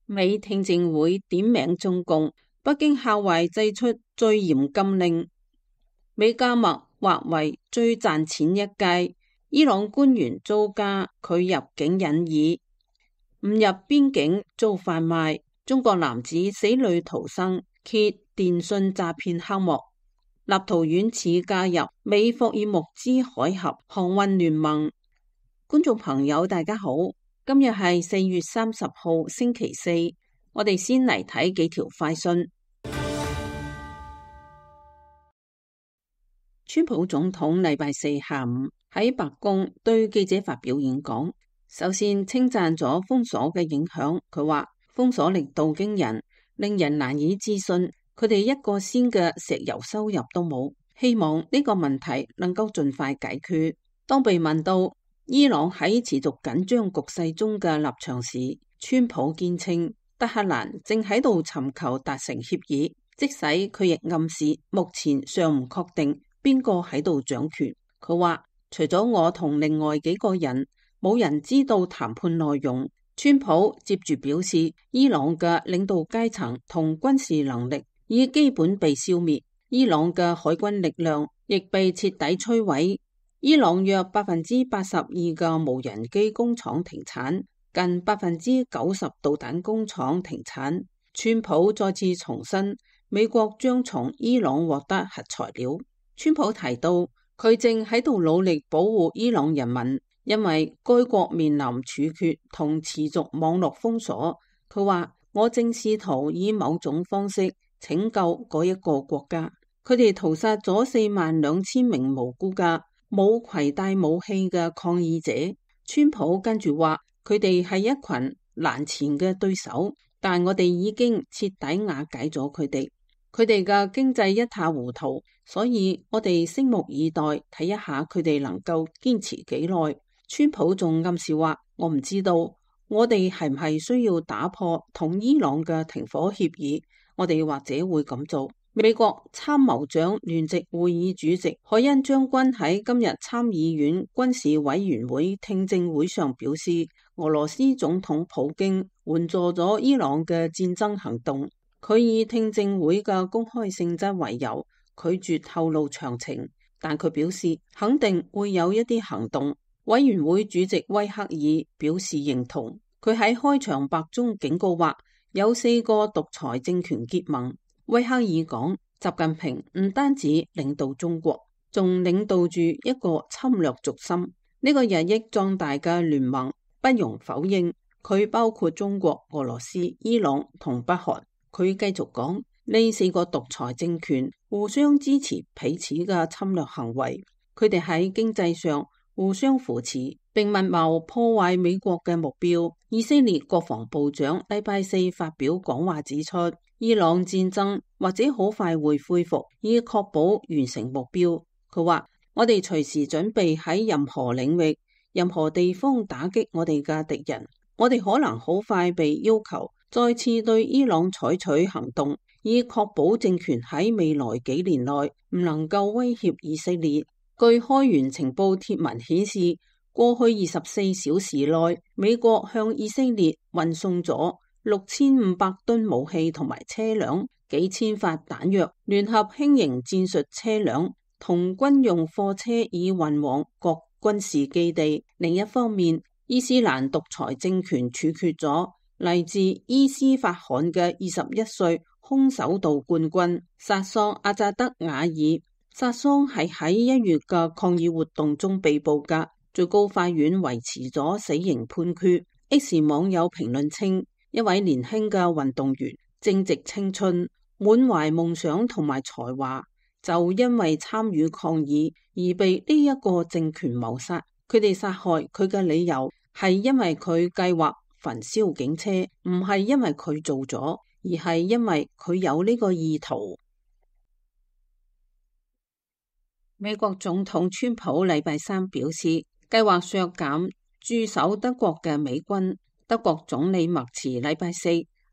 美聽證會點名中共，北京校壞祭出最嚴禁令，美加墨劃為最賺錢一屆，伊朗官員遭加拒入境引疑，誤入邊境遭販賣，中國男子死裏逃生揭電信詐騙黑幕，立陶宛始加入美霍爾木茲海峽航運聯盟。觀眾朋友大家好，今日係4月30號星期四，我哋先嚟睇幾條快訊。川普總統禮拜四下午喺白宮對記者發表演講，首先稱讚咗封鎖嘅影響。佢話封鎖力度驚人，令人難以置信，佢哋一個仙嘅石油收入都冇，希望呢個問題能夠盡快解決。當被問到伊朗喺持續緊張局勢中嘅立場時，川普堅稱德黑蘭正喺度尋求達成協議，即使佢亦暗示目前尚唔確定邊個喺度掌權。佢話除咗我同另外幾個人，冇人知道談判內容。川普接住表示，伊朗嘅領導階層同軍事能力已基本被消滅，伊朗嘅海軍力量亦被徹底摧毀。伊朗約82%嘅無人機工廠停產，近90%導彈工廠停產。川普再次重申，美國將從伊朗獲得核材料。川普提到，佢正喺度努力保護伊朗人民，因為該國面臨處決同持續網絡封鎖。佢話，我正試圖以某種方式拯救嗰一個國家。佢哋屠殺咗42000名無辜嘅冇攜帶武器嘅抗議者。川普跟住話，佢哋係一群難纏嘅對手，但我哋已經徹底瓦解咗佢哋。佢哋嘅經濟一塌糊塗，所以我哋拭目以待，睇一下佢哋能夠堅持幾耐。川普仲暗示話，我唔知道我哋係唔係需要打破同伊朗嘅停火協議，我哋或者會咁做。美國參謀長聯席會議主席海恩將軍喺今日參議院軍事委員會聽證會上表示，俄羅斯總統普京援助咗伊朗嘅戰爭行動。佢以聽證會嘅公開性質為由，拒絕透露詳情，但佢表示肯定會有一啲行動。委員會主席威克爾表示認同。佢喺開場白中警告話，有4個獨裁政權結盟。威克爾講，習近平唔單止領導中國，仲領導住一個侵略軸心。呢個日益壯大嘅聯盟不容否認，佢包括中國、俄羅斯、伊朗同北韓。佢繼續講，呢4個獨裁政權互相支持彼此嘅侵略行為，佢哋喺經濟上互相扶持，並密謀破壞美國嘅目標。以色列國防部長禮拜四發表講話指出，伊朗戰爭或者好快會恢復，以確保完成目標。佢話，我哋隨時準備喺任何領域、任何地方打擊我哋嘅敵人。我哋可能好快被要求再次對伊朗採取行動，以確保政權喺未來幾年內唔能夠威脅以色列。據開源情報貼文顯示，過去24小時內，美國向以色列運送咗6500噸武器同埋車輛，幾千發彈藥，聯合輕型戰術車輛同軍用貨車已運往各軍事基地。另一方面，伊斯蘭獨裁政權處決咗嚟自伊斯法罕嘅21歲空手道冠軍薩桑阿扎德瓦爾。薩桑係喺1月嘅抗議活動中被捕噶，最高法院維持咗死刑判決。X 網友評論稱，一位年輕嘅運動員正值青春，滿懷夢想同埋才華，就因為參與抗議而被呢一個政權謀殺。佢哋殺害佢嘅理由係因為佢計劃焚燒警車，唔係因為佢做咗，而係因為佢有呢個意圖。美國總統川普禮拜三表示，計劃削減駐守德國嘅美軍。德國總理默茨禮拜四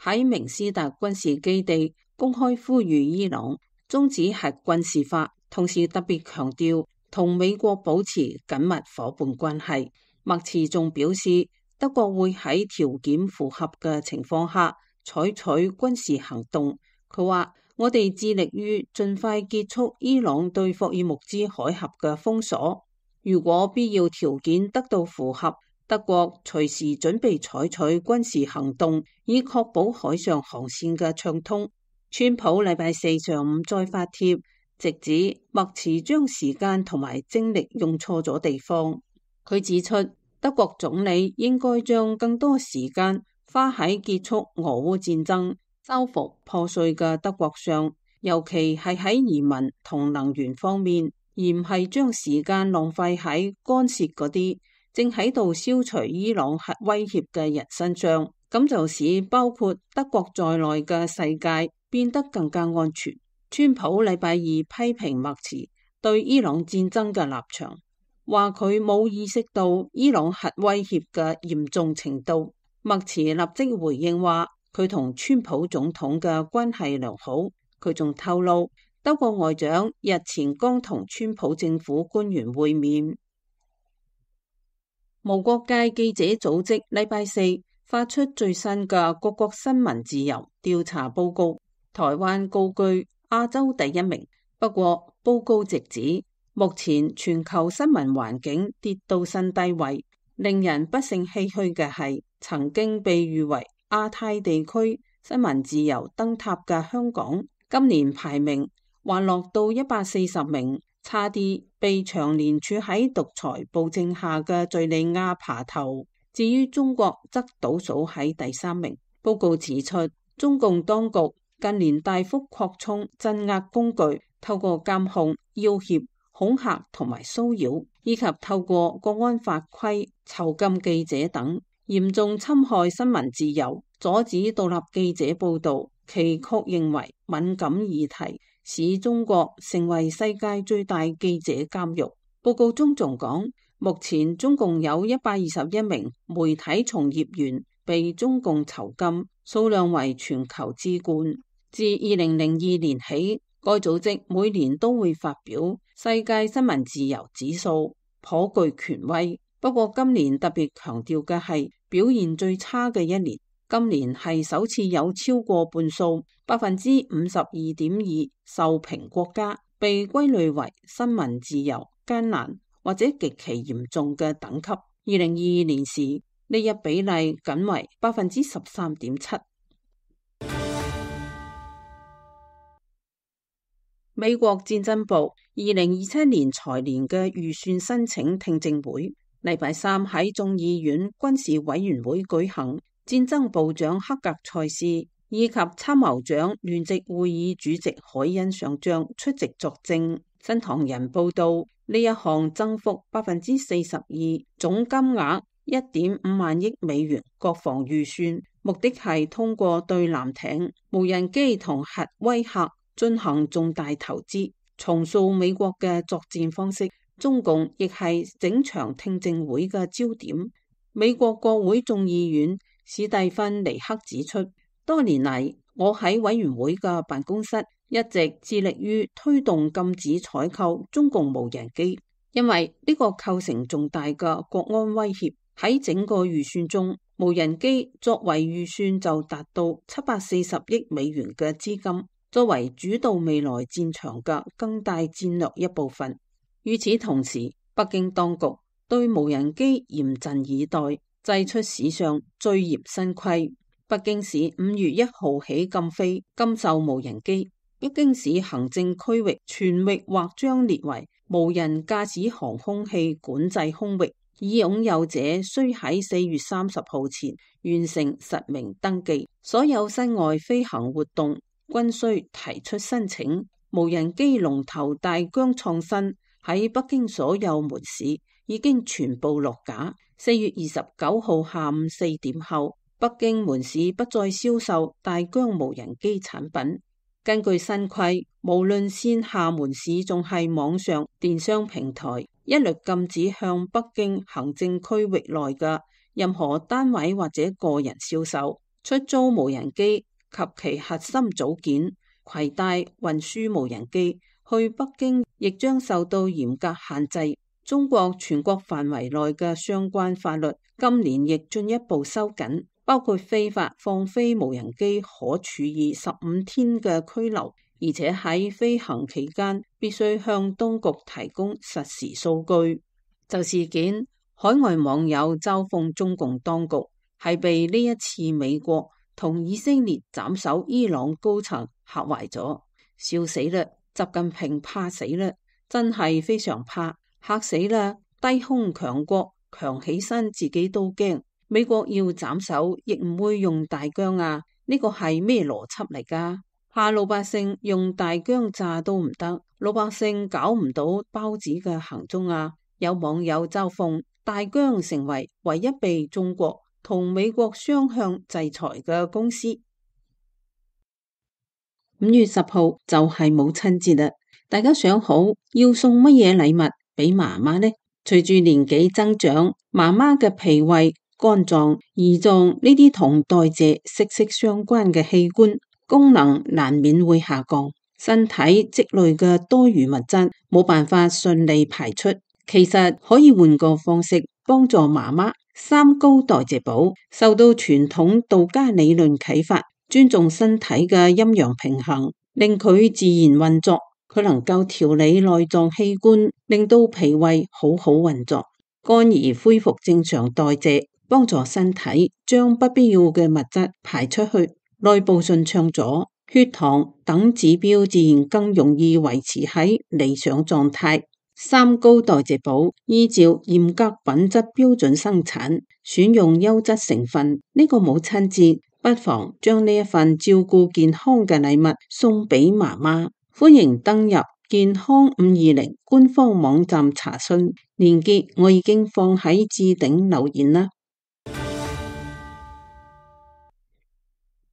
喺明斯特軍事基地公開呼籲伊朗終止核軍事化，同時特別強調同美國保持緊密夥伴關係。默茨仲表示，德國會喺條件符合嘅情況下採取軍事行動。佢話：我哋致力於盡快結束伊朗對霍爾木茲海峽嘅封鎖。如果必要條件得到符合，德國隨時準備採取軍事行動，以確保海上航線嘅暢通。川普禮拜四上午再發帖，直指默茨將時間同埋精力用錯咗地方。佢指出，德國總理應該將更多時間花喺結束俄烏戰爭、修復破碎嘅德國上，尤其係喺移民同能源方面，而唔係將時間浪費喺干涉嗰啲正喺度消除伊朗核威脅嘅人身上。咁就使包括德國在內嘅世界變得更加安全。川普禮拜二批評默茨對伊朗戰爭嘅立場，話佢冇意識到伊朗核威脅嘅嚴重程度。默茨立即回應話，佢同川普總統嘅關係良好。佢仲透露，德國外長日前剛同川普政府官員會面。無國界記者組織禮拜四發出最新嘅各國新聞自由調查報告，台灣高居亞洲第一名。不過報告直指，目前全球新聞環境跌到新低位。令人不勝唏噓嘅係，曾經被譽為亞太地區新聞自由燈塔嘅香港，今年排名滑落到140名，差啲被長年處喺獨裁暴政下嘅敘利亞爬頭。至於中國則倒數喺第3名。報告指出，中共當局近年大幅擴充鎮壓工具，透過監控、要挾、恐嚇同埋騷擾，以及透過國安法規囚禁記者等，嚴重侵害新聞自由，阻止獨立記者報道。其確認為敏感議題，使中國成為世界最大記者監獄。報告中仲講，目前中共有121名媒體從業員被中共囚禁，數量為全球之冠。自2002年起，該組織每年都會發表世界新聞自由指數，頗具權威。不過今年特別強調嘅係表現最差嘅一年。今年係首次有超過半數52.2%受評國家被歸類為新聞自由艱難或者極其嚴重嘅等級。2022年時，呢一比例僅為13.7%。美國戰爭部2027年財年嘅預算申請聽證會，禮拜三喺眾議院軍事委員會舉行。戰爭部長克格塞斯以及參謀長聯席會議主席海恩上將出席作證。新唐人報道，呢一項增幅42%，總金額1.5萬億美元國防預算，目的係通過對艦艇、無人機同核威嚇進行重大投資，重塑美國嘅作戰方式。中共亦係整場聽證會嘅焦點。美國國會眾議院史蒂芬尼克指出，多年嚟我喺委員會嘅辦公室一直致力於推動禁止採購中共無人機，因為呢個構成重大嘅國安威脅。喺整個預算中，無人機作為預算就達到740億美元嘅資金，作為主導未來戰場嘅更大戰略一部分。與此同時，北京當局對無人機嚴陣以待，祭出史上最嚴新規。北京市5月1號起禁飛、禁售無人機。北京市行政區域全域或將列為無人駕駛航空器管制空域，已擁有者需喺4月30號前完成實名登記。所有室外飛行活動均需提出申請。無人機龍頭大疆創新喺北京所有門市已經全部落架。4月29號下午4點後，北京門市不再銷售大疆無人機產品。根據新規，無論線下門市仲係網上電商平台，一律禁止向北京行政區域內嘅任何單位或者個人銷售、出租無人機及其核心組件、攜帶運輸無人機去北京亦將受到嚴格限制。中國全國範圍內嘅相關法律今年亦進一步收緊，包括非法放飛無人機可處以15天嘅拘留，而且喺飛行期間必須向當局提供實時數據。就事件，海外網友嘲諷中共當局係被呢一次美國同以色列斬首伊朗高層嚇壞咗，笑死啦！習近平怕死啦，真係非常怕，嚇死啦！低空強國強起身自己都驚，美國要斬首亦唔會用大疆啊，呢個係咩邏輯嚟㗎？怕老百姓用大疆炸都唔得，老百姓搞唔到包子嘅行蹤啊！有網友嘲諷大疆成為唯一被中國同美國雙向制裁嘅公司。5月10號就係母親節啦，大家想好要送乜嘢禮物俾媽媽呢？隨住年紀增長，媽媽嘅脾胃、肝臟、胰臟呢啲同代謝息息相關嘅器官功能難免會下降，身體積累嘅多餘物質冇辦法順利排出。其實可以換個方式幫助媽媽。三高代謝寶受到傳統道家理論啟發，尊重身體嘅陰陽平衡，令佢自然運作。佢能夠調理內臟器官，令到脾胃好好運作，肝兒恢復正常代謝，幫助身體將不必要嘅物質排出去，內部順暢咗，血糖等指標自然更容易維持喺理想狀態。三高代謝寶依照嚴格品質標準生產，選用優質成分。呢個母親節不妨將呢一份照顧健康嘅禮物送俾媽媽。歡迎登入健康520官方網站查詢，鏈接我已經放喺置頂留言啦。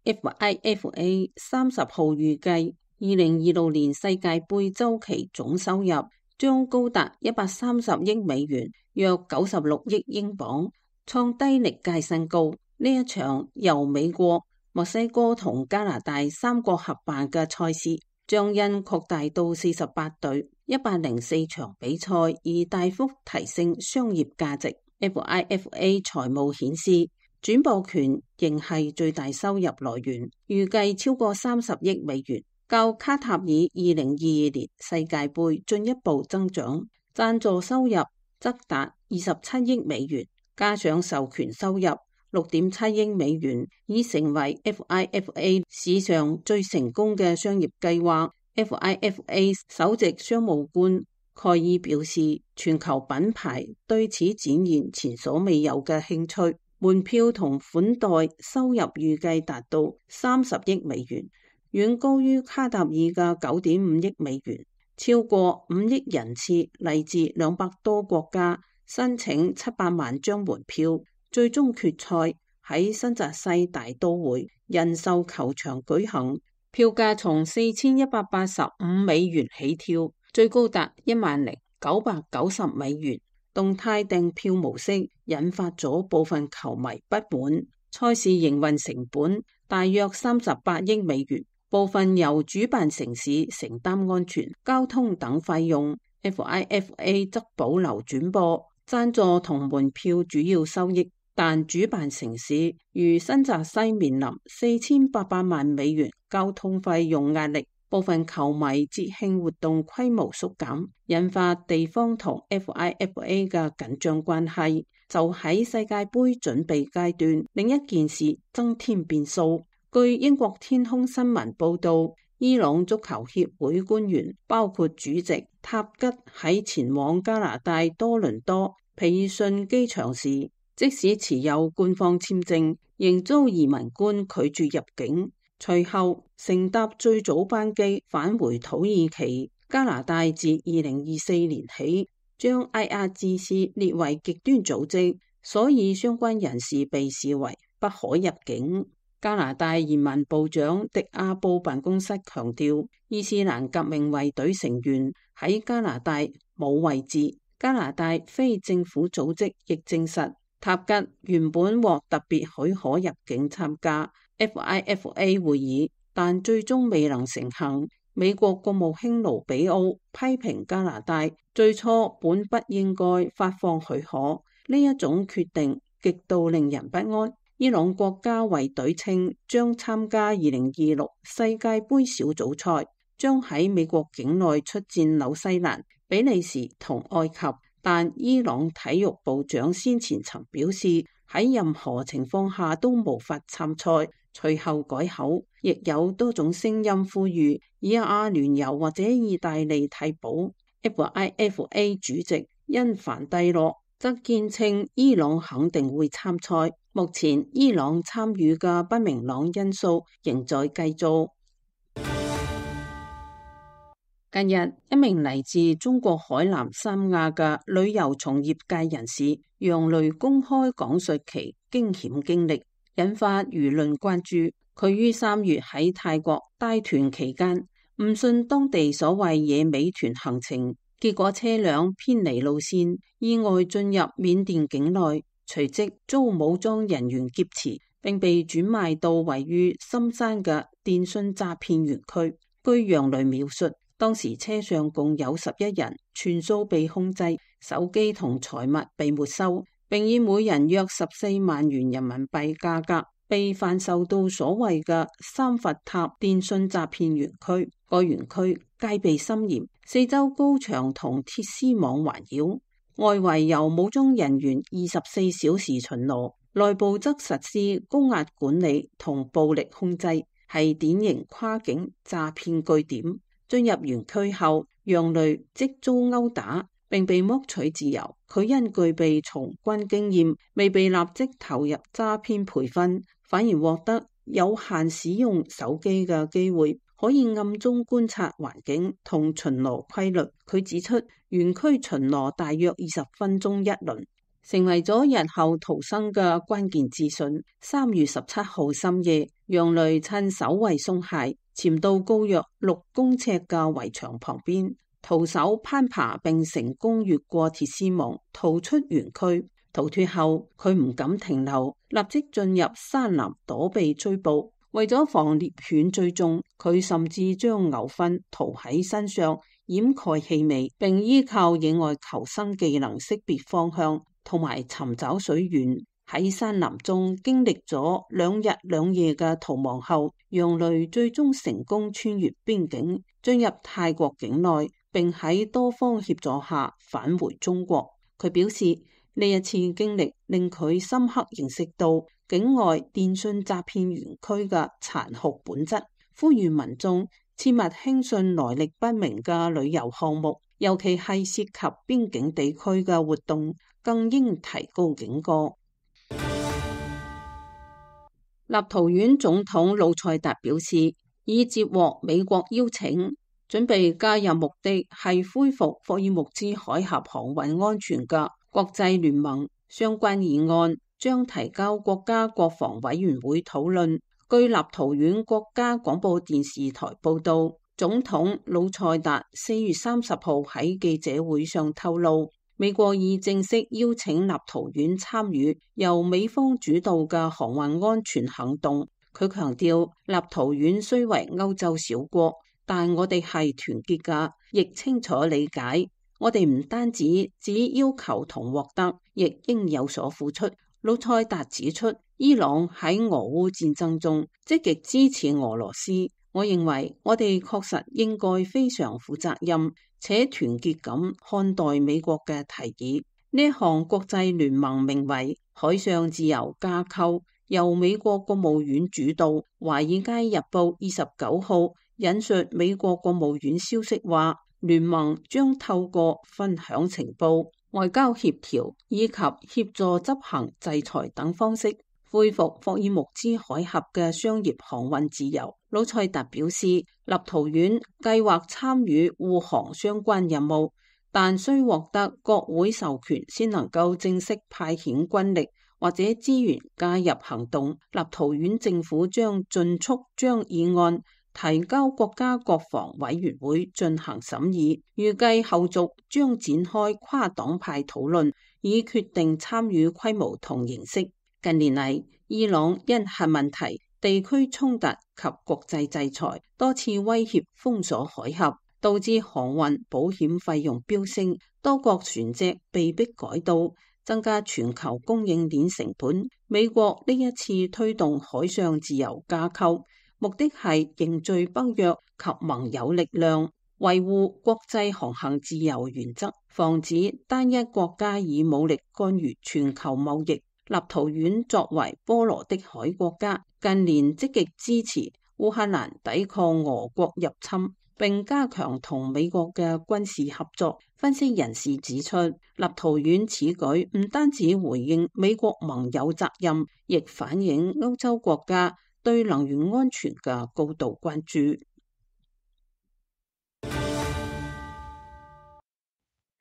FIFA 30號預計2026年世界盃周期總收入將高達130億美元，約96億英鎊，創低歷屆新高。呢一場由美國、墨西哥同加拿大三國合辦嘅賽事，將因擴大到48隊、104場比賽而大幅提升商業價值。FIFA 財務顯示，轉播權仍係最大收入來源，預計超過30億美元。較卡塔爾2022年世界盃進一步增長，贊助收入則達27億美元，加上授權收入6.7億美元，已成為 FIFA 史上最成功嘅商業計劃。FIFA 首席商務官蓋爾表示，全球品牌對此展現前所未有嘅興趣，門票同款待收入預計達到30億美元。遠高於卡塔爾嘅9.5億美元，超過5億人次嚟自200多國家，申請700萬張門票。最終決賽喺新澤西大都會人壽球場舉行，票價從4185美元起跳，最高達10,990美元。動態訂票模式引發咗部分球迷不滿。賽事營運成本大約38億美元。部分由主辦城市承擔安全、交通等費用。FIFA 則保留轉播、贊助同門票主要收益，但主辦城市如新澤西面臨4800萬美元交通費用壓力。部分球迷節慶活動規模縮減，引發地方同 FIFA 嘅緊張關係。就喺世界盃準備階段，另一件事增添變數。據英國天空新聞報道，伊朗足球協會官員包括主席塔吉喺前往加拿大多倫多皮爾遜機場時，即使持有官方簽證，仍遭移民官拒絕入境。隨後乘搭最早班機返回土耳其。加拿大自2024年起將 IRGC 列為極端組織，所以相關人士被視為不可入境。加拿大移民部長迪亞布辦公室強調，伊斯蘭革命衛隊成員喺加拿大冇位置。加拿大非政府組織亦證實，塔吉原本獲特別許可入境參加 FIFA 會議，但最終未能成行。美國國務卿盧比奧批評加拿大最初本不應該發放許可，呢一種決定極度令人不安。伊朗國家衛隊稱將參加2026世界盃小組賽，將喺美國境內出戰紐西蘭、比利時同埃及，但伊朗體育部長先前曾表示喺任何情況下都無法參賽，隨後改口。亦有多種聲音呼籲以阿聯酋或者意大利替補。FIFA 主席因凡蒂諾則堅稱伊朗肯定會參賽。目前伊朗參與嘅不明朗因素仍在繼續。近日，一名嚟自中國海南三亞嘅旅遊從業界人士楊雷公開講述其驚險經歷，引發輿論關注。佢於3月喺泰國帶團期間，誤信當地所謂野美團行程，結果車輛偏離路線，意外進入緬甸境內，隨即遭武裝人員劫持，並被轉賣到位於深山嘅電信詐騙園區。據楊雷描述，當時車上共有11人，全數被控制，手機同財物被沒收，並以每人約14萬元人民幣價格被販售到所謂嘅三佛塔電信詐騙園區。該園區戒備森嚴，四周高牆同鐵絲網環繞，外圍由武裝人員24小時巡邏，內部則實施高壓管理同暴力控制，係典型跨境詐騙據點。進入園區後，楊雷即遭毆打並被剝取自由。佢因具備從軍經驗，未被立即投入詐騙培訓，反而獲得有限使用手機嘅機會，可以暗中觀察環境同巡邏規律。佢指出，園區巡邏大約20分鐘一輪，成為咗日後逃生嘅關鍵資訊。3月17號深夜，楊雷趁守衛鬆懈，潛到高約6公尺嘅圍牆旁邊，徒手攀爬並成功越過鐵絲網，逃出園區。逃脫後，佢唔敢停留，立即進入山林躲避追捕。為咗防獵犬追蹤，佢甚至將牛糞塗喺身上掩蓋氣味，並依靠野外求生技能識別方向同埋尋找水源。喺山林中經歷咗2日2夜嘅逃亡後，楊雷最終成功穿越邊境，進入泰國境內，並喺多方協助下返回中國。佢表示，呢一次經歷令佢深刻認識到境外電信詐騙園區嘅殘酷本質，呼籲民眾切勿輕信來歷不明嘅旅遊項目，尤其係涉及邊境地區嘅活動，更應提高警覺。立陶宛總統魯塞達表示，已接獲美國邀請，準備加入目的係恢復霍爾木茲海峽航運安全嘅國際聯盟。相關議案將提交國家國防委員會討論。據立陶宛國家廣播電視台報道，總統魯塞達4月30號喺記者會上透露，美國已正式邀請立陶宛參與由美方主導嘅航運安全行動。佢強調，立陶宛雖為歐洲小國，但我哋係團結㗎，亦清楚理解，我哋唔單止只要求同獲得，亦應有所付出。魯塞達指出，伊朗喺俄烏戰爭中積極支持俄羅斯，我認為我哋確實應該非常負責任且團結咁看待美國嘅提議。呢一項國際聯盟名為海上自由架構，由美國國務院主導。華爾街日報29號引述美國國務院消息話，聯盟將透過分享情報、外交協調以及協助執行制裁等方式，恢復霍爾木茲海峽嘅商業航運自由。魯塞達表示，立陶宛計劃參與護航相關任務，但需獲得國會授權先能夠正式派遣軍力或者資源加入行動。立陶宛政府將盡速將議案提交國家國防委員會進行審議，預計後續將展開跨黨派討論，以決定參與規模同形式。近年嚟，伊朗因核問題地區衝突及國際制裁，多次威脅封鎖海峽，導致航運保險費用飆升，多國船隻被迫改道，增加全球供應鏈成本。美國呢一次推動海上自由架構，目的係凝聚北約及盟友力量，維護國際航行自由原則，防止單一國家以武力干預全球貿易。立陶宛作為波羅的海國家，近年積極支持烏克蘭抵抗俄國入侵，並加強同美國嘅軍事合作。分析人士指出，立陶宛此舉唔單止回應美國盟友責任，亦反映歐洲國家對能源安全嘅高度關注。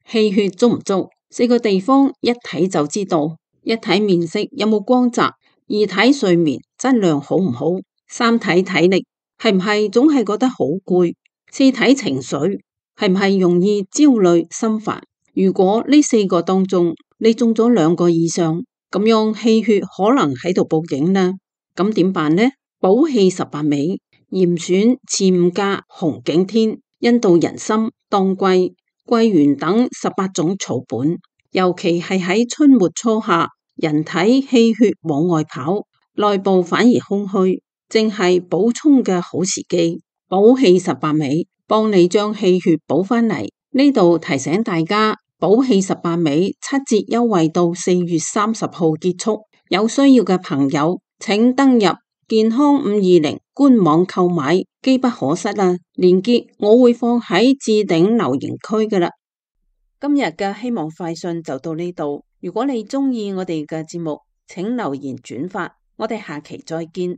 氣血足唔足？4個地方一睇就知道。一睇面色有冇光澤，二睇睡眠質量好唔好，三睇體力係唔係總係覺得好攰，四睇情緒係唔係容易焦慮心煩。如果呢4個當中你中咗2個以上，咁樣氣血可能喺度報警啦。咁點辦呢？補氣18味，嚴選慈吳價、紅景天、印度人參、當歸、桂圓等18種草本，尤其係喺春末初夏，人體氣血往外跑，內部反而空虛，正係補充嘅好時機。補氣18味，幫你將氣血補返嚟。呢度提醒大家，補氣18味7折優惠到4月30號結束，有需要嘅朋友請登入健康520官網購買，機不可失啊！鏈接我會放喺置頂留言區㗎喇。今日嘅希望快訊就到呢度。如果你鍾意我哋嘅節目，請留言轉發。我哋下期再見。